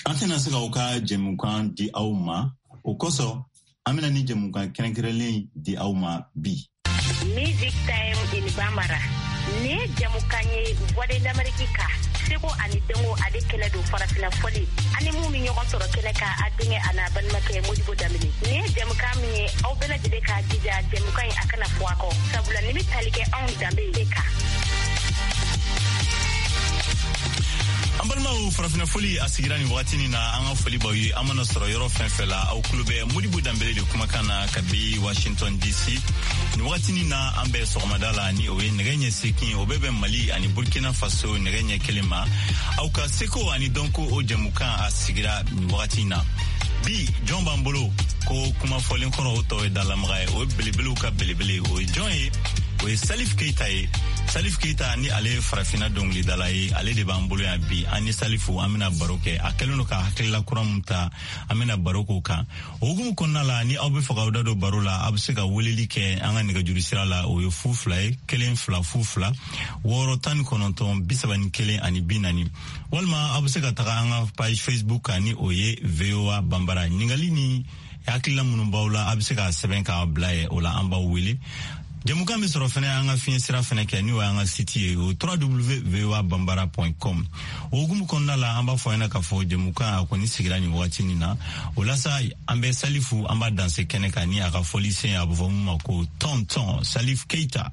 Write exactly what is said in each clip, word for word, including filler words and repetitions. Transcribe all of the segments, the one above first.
An tɛna se k'aw ka jɛmukan di aw ma, o kosɔn an bɛna ni jɛmukan kɛrɛnkɛrɛnlen di aw ma bi. Music Time in Bambara. Nin ye jɛmukan ye Voix de l'Amérique kan, seko ani dɔnko ale kɛnɛ don, farafina fɔli ani mun bɛ ɲɔgɔn sɔrɔ kɛnɛ kan, a denkɛ a n'a balimakɛ Modibo Danbele. Nin ye jɛmukan min ye, aw bɛɛ lajɛlen k'a jija jɛmukan in a kana fɔ a kɔ, sabula nin bɛ tali kɛ anw danbe de kan. An balimaw, farafinna foli a sigira nin wagati nin na. An ka foli b'aw ye, an mana sɔrɔ yɔrɔ fɛn fɛn la. Aw tulo bɛ Modibo Danbele de kumakan na kabi Washington D C. Nin wagati nin na, an bɛ sɔgɔmada la, ni o ye nɛgɛ ɲɛ seegin, o bɛ bɛn Mali ani Burkina Faso nɛgɛ ɲɛ kelen ma. Aw ka seko ani dɔnko, o jɛmukan a sigira nin wagati na. Bi, jɔn b'an bolo? Ko kuma fɔlen kɔrɔ, o tɔ ye dalamaga ye. O ye belebelew ka belebele. O ye jɔn ye? O ye Salif Keita ye. Salif Keita ni ale ye farafinna dɔnkilidala ye, ale de b'an bolo yan bi. An ni Salifu, an bɛna baro kɛ. A kɛlen don ka hakilila kura mun ta, an bɛna baro k'o kan. O hukumu kɔnɔna la, ni aw bɛ fɛ k'aw da don baro la, aw bɛ se ka weleli kɛ an ka nɛgɛjuru sira la. O ye fu fila ye, kelen fila fu fila wɔɔrɔ tan ni kɔnɔntɔn bi saba ni kelen ani bi naani, walima aw bɛ se ka taga an ka page Facebook kan, ni o ye V O A Banbara. Ɲininkali ni hakilila minnu b'aw la, a bɛ se k'a sɛbɛn k'a bila ye. O la, an b'aw wele. Jɛmukan bɛ sɔrɔ fɛnɛ an ka fiɲɛ sira fɛnɛ kɛ, n'o y'an ka site ye, o w w w voa bambara com. O hukumu kɔnɔna la, an b'a fɔ ɲɛna k'a fɔ jɛmukan a kɔni sigira nin wagati nin na. O la sa, an bɛ Salifu, an b'a danse kɛnɛ kan ni a ka fɔlisen, a bɛ fɔ mun ma ko Tonton Salif Keita.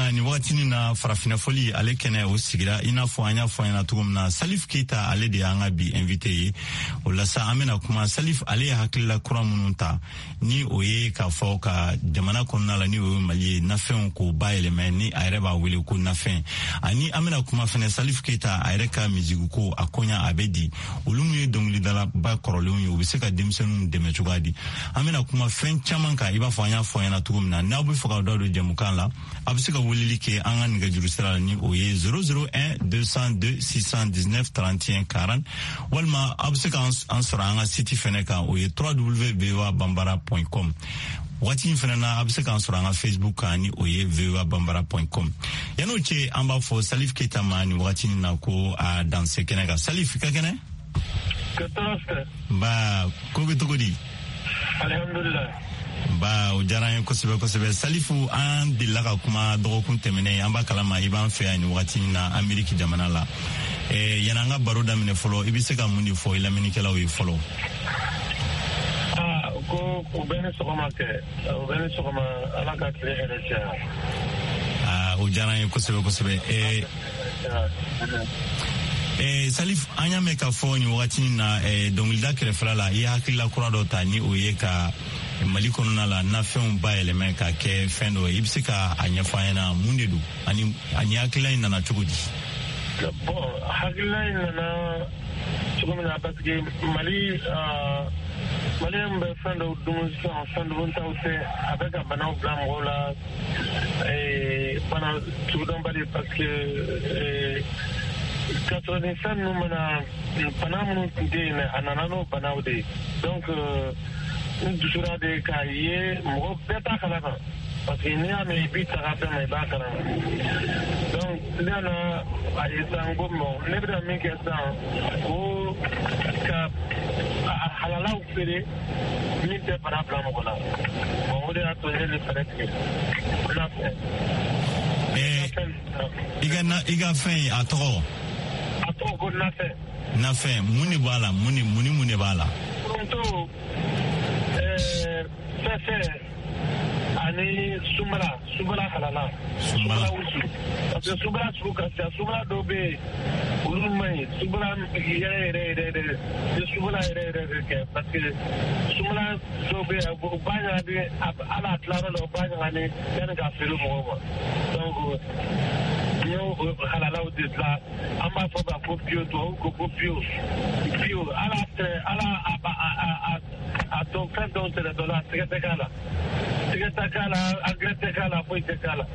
faamuya nin wagatinin na farafinna fɔli ale kɛnɛ o sigira i n'a fɔ an y'a fɔ ɲɛna cogo min na Salif Keita ale de y'an ka bi invité ye. O la sa an bɛna kuma Salif ale ye hakilila kura minnu ta ni o ye k'a fɔ ka jamana kɔnɔna la ni o ye Mali ye nafɛnw k'o bayɛlɛmɛ ni a yɛrɛ b'a wele ko nafɛn. Ani an bɛna kuma fɛnɛ Salif Keita a yɛrɛ ka musique ko a koɲa a bɛ di olu min ye dɔnkilidalaba kɔrɔlenw ye u bɛ se ka denmisɛnninw dɛmɛ cogoya di. An bɛna kuma fɛn caman kan i b'a fɔ an y'a fɔ ɲɛna cogo min na. N'aw bɛ fɛ k'aw da don jɛmukan la a bɛ se ka weleli kɛ an ka nɛgɛjuru sira la ni o ye zéro zéro un deux cent deux six cent dix-neuf trente et un quarante walima aw bɛ se k'an sɔrɔ an ka site fɛnɛ kan o ye w w w point voa bambara point com. Waati in fɛnɛ na a bɛ se k'an sɔrɔ an ka Facebook kan ni o ye voa bambara point com. Yan'o cɛ an b'a fɔ Salif Keita ma nin wagati in na ko a danse kɛnɛ kan. Salif i ka kɛnɛ? Ba ko bɛ cogo di? Alhamdulillah. Ba o diyara an ye kosɛbɛ kosɛbɛ. Salifu an delila ka kuma dɔgɔkun tɛmɛnen an b'a kalama i b'an fɛ yan nin wagati in na Ameriki jamana la. Eh, yanni an ka baro daminɛ fɔlɔ i bɛ se ka mun de fɔ i lamɛnnikɛlaw ye fɔlɔ? Aa ko u bɛ ni sɔgɔma kɛ u bɛ ni sɔgɔma Ala ka tile hɛrɛ caya. Aa o diyara an ye kosɛbɛ kosɛbɛ. Eh, Eh, Salif an y'a mɛn k'a fɔ nin wagati in na eh, dɔnkilida kɛrɛfɛla la i ye hakilila kura dɔ ta ni o ye ka Mali kɔnɔna la nafɛnw bayɛlɛmɛ ka kɛ fɛn dɔ ye. I bɛ se ka a ɲɛfɔ an ɲɛna mun de don ani ani hakilila in nana cogo di? Bon hakilila in nana cogo min na parce que Mali Maliyɛn bɛ fɛn dɔw dun sisan fɛn duntaw tɛ a bɛ ka banaw bila mɔgɔw la bana sugudɔnbali parce que k'a sɔrɔ nin fɛn ninnu mana bana minnu tun tɛ yen a nana n'o banaw de ye. Donc n dusura de k'a ye mɔgɔ bɛɛ t'a kalama parce que n'i y'a mɛn i b'i ta ka fɛn ma i b'a kalama. Donc ne nana a ye sisan ko bon ne bɛna min kɛ sisan ko ka a halalaw feere min tɛ bana bila mɔgɔ la. Bon o de y'a to ne ye fɛɛrɛ tigɛ n n'a fɛ. I ka na i ka fɛn a tɔgɔ? A tɔgɔ ko nafɛn. Nafɛn mun de b'a la mun ni mun ni mun de b'a la? Foronto ɛɛ fɛfɛ ani sunbala sunbala halala. Sunbala wusu parce que sunbala sugu ka ca sunbala dɔw bɛ yen olu man ɲi sunbala yɛrɛ yɛrɛ yɛrɛ yɛrɛ ni sunbala yɛrɛ yɛrɛ de kɛ parce que sunbala dɔw bɛ yen u b'a ɲagami hali a tilayɔrɔ la u b'a ɲagami yanni k'a feere mɔgɔw ma. Donc n y'o halalaw de dilan an b'a fɔ ma ko bio tubabu ko ko bio bio ala tɛ ala a a a a dɔn fɛn dɔw tɛnɛ dɔ la sɛgɛ tɛ k'a la sɛgɛ tɛ k'a la angɛrɛ tɛ k'a la foyi tɛ k'a la.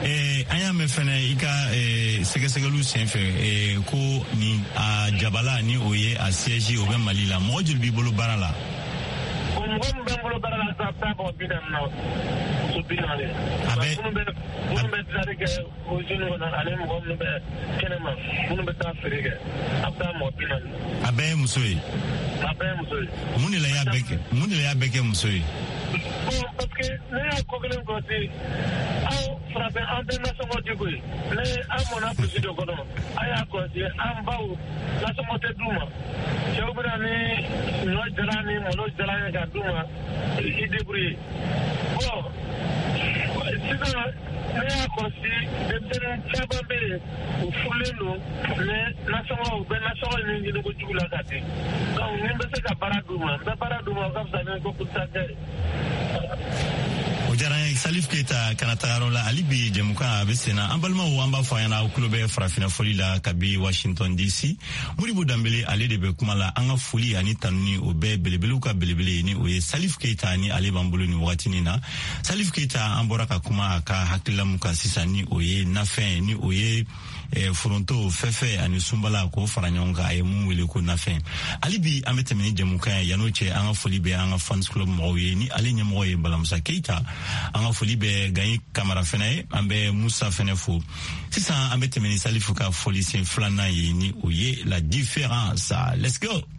Eh, an y'a mɛn fɛnɛ i ka eh, sɛgɛsɛgɛliw senfɛ eh, ko ni a jabala ni o ye a siège o bɛ Mali la mɔgɔ joli b'i bolo baara la? Bon mɔgɔ min bɛ n bolo baara la sisan a bɛ taa mɔgɔ bi naani na muso bi naani. A bɛ minnu bɛ minnu bɛ dilanni kɛ usine kɔnɔ ani mɔgɔ minnu bɛ kɛnɛma minnu bɛ taa feere kɛ a bɛ taa mɔgɔ bi naani. A bɛɛ ye muso ye? A bɛɛ ye muso ye. Mun de la i y'a bɛɛ kɛ mun de la i y'a bɛɛ kɛ muso ye? Bon parce que ne y'a ko kelen kɔlɔsi aw farafin an tɛ nasɔngɔ di koyi ne an mɔnna burusi dɔ kɔnɔ an y'a kɔlɔsi an baw nasɔngɔ tɛ d'u ma cɛw bɛ na ni ɲɔ jalan ni malo jalan ye k'a d'u ma i débrouiller. Bon sisan ne y'a kɔlɔsi denmisɛnnin caman bɛ yen u furulen don mais nasɔngɔ u bɛ nasɔngɔ ɲini ɲini kojugu la ka di. Donc ni n bɛ se ka baara d'u ma n bɛ baara d'u ma o ka fisa ni ko ta kɛ. O diyara n ye Salif Keita kana taga yɔrɔ la hali bi jɛmukan a bɛ sen na. An balimaw an b'a fɔ a ɲɛna aw tulo bɛ farafinna fɔli la kabi Washington D C. Modibo Danbele ale de bɛ kuma la. An ka foli ani tanuni o bɛɛ belebelew ka belebele ni o ye Salif Keita ni ale b'an bolo nin wagatinin na. Salif Keita an bɔra ka kuma a ka hakilila mun kan sisan ni o ye nafɛn ni o ye eh, foronto fɛfɛ ani sunbala k'o fara ɲɔgɔn kan a ye mun wele ko nafɛn. Hali bi an bɛ tɛmɛ ni jɛmukan ye yan'o cɛ an ka foli bɛ an ka fans club mɔgɔw ye ni ale ɲɛmɔgɔ ye Balamusa Keita. An ka foli bɛ Gayi Kamara fɛnɛ ye an bɛ Musa fɛnɛ fo. Sisan an bɛ tɛmɛ ni Salifu ka foli sen filanan ye ni o ye la différence. Let's go.